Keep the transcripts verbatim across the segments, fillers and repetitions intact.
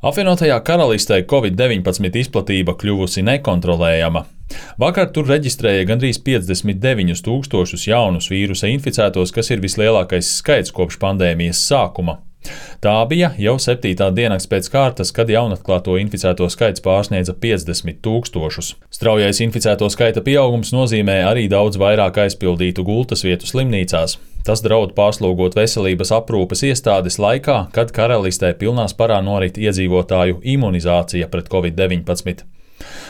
Apvienotajā Karalistē covid deviņpadsmit izplatība kļuvusi nekontrolējama. Vakar tur reģistrēja gandrīz piecdesmit deviņus tūkstošus jaunus vīrusa inficētos, kas ir vislielākais skaits kopš pandēmijas sākuma. Tā bija jau septītā diennakts pēc kārtas, kad jaunatklāto inficēto skaits pārsniedza piecdesmit tūkstošus. Straujais inficēto skaita pieaugums nozīmē arī daudz vairāk aizpildītu gultas vietu slimnīcās. Tas draud pārslogot veselības aprūpes iestādes laikā, kad Karalistē pilnā sparā norit iedzīvotāju imunizācija pret covid deviņpadsmit.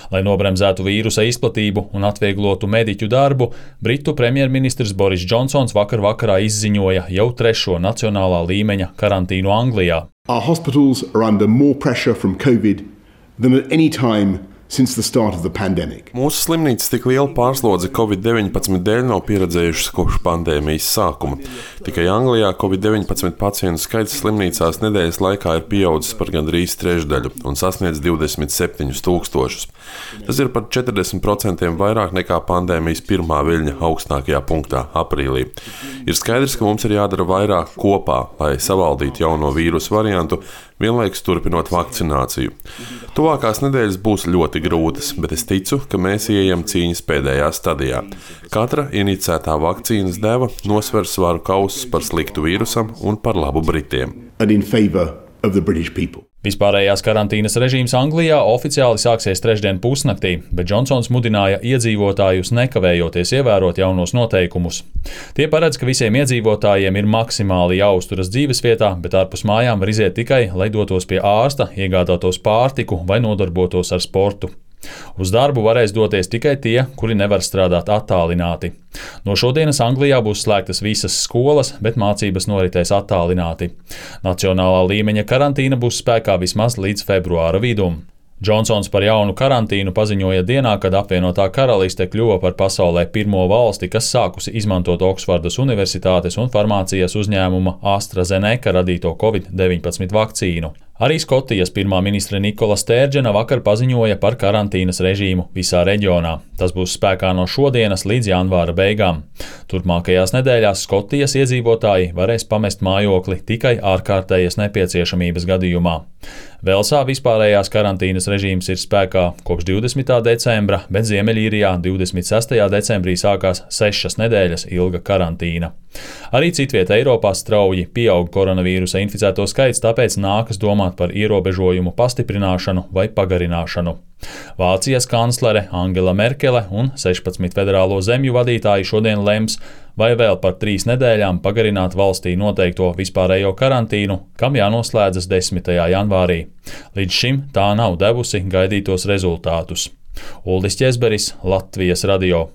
Lai nobremzētu vīrusa izplatību un atvieglotu mediķu darbu, Britu premjerministrs Boris Džonsons vakar vakarā izziņoja jau trešo nacionālā līmeņa karantīnu Anglijā. Our hospitals are under more pressure from COVID than at any time since the start of the pandemic. Mūsu slimnīcas tik liela pārslodze covid deviņpadsmit dēļ nav pieredzējušas kopš pandēmijas sākuma. Tikai Anglijā covid deviņpadsmit pacientu skaits slimnīcās nedēļas laikā ir pieaudzis par gandrīz trešdaļu un sasniedz divdesmit septiņus tūkstošus. Tas ir par četrdesmit procentiem vairāk nekā pandēmijas pirmā viļņa augstākajā punktā aprīlī. Ir skaidrs, ka mums ir jādara vairāk kopā, lai savaldītu jauno vīrusu variantu, vienlaikus turpinot vakcināciju. Tuvākās nedēļas būs ļoti grūtas, bet es ticu, ka mēs ieejam cīņas pēdējā stadijā. Katra inicētā vakcīnas deva nosver svaru kausus par sliktu vīrusam un par labu Britiem. And in favor of the British people. Vispārējās karantīnas režīms Anglijā oficiāli sāksies trešdien pusnaktī, bet Džonsons mudināja iedzīvotājus nekavējoties ievērot jaunos noteikumus. Tie paredz, ka visiem iedzīvotājiem ir maksimāli jāuzturas dzīvesvietā, bet ārpus mājām var iziet tikai, lai dotos pie ārsta, iegādātos pārtiku vai nodarbotos ar sportu. Uz darbu varēs doties tikai tie, kuri nevar strādāt attālināti. No šodienas Anglijā būs slēgtas visas skolas, bet mācības noritēs attālināti. Nacionālā līmeņa karantīna būs spēkā vismaz līdz februāra vidum. Džonsons par jaunu karantīnu paziņoja dienā, kad apvienotā Karaliste kļuva par pasaulē pirmo valsti, kas sākusi izmantot Oksfordas Universitātes un farmācijas uzņēmuma AstraZeneca radīto covid deviņpadsmit vakcīnu. Arī Skotijas pirmā ministre Nikola Stērdžena vakar paziņoja par karantīnas režīmu visā reģionā. Tas būs spēkā no šodienas līdz janvāra beigām. Turpmākajās nedēļās Skotijas iedzīvotāji varēs pamest mājokli tikai ārkārtējas nepieciešamības gadījumā. Velsā vispārējās karantīnas režīms ir spēkā kopš divdesmitā decembra, bet Ziemeļīrijā divdesmit sestajā decembrī sākās sešas nedēļas ilga karantīna. Arī citviet Eiropā strauji pieaug koronavīrusa inficēto skaits, tāpēc nākas domāt par ierobežojumu pastiprināšanu vai pagarināšanu. Vācijas kanclere Angela Merkele un sešpadsmit federālo zemju vadītāji šodien lems, vai vēl par trīs nedēļām pagarināt valstī noteikto vispārējo karantīnu, kam jānoslēdzas desmitajā janvārī. Līdz šim tā nav devusi gaidītos rezultātus. Uldis Ķezberis, Latvijas radio.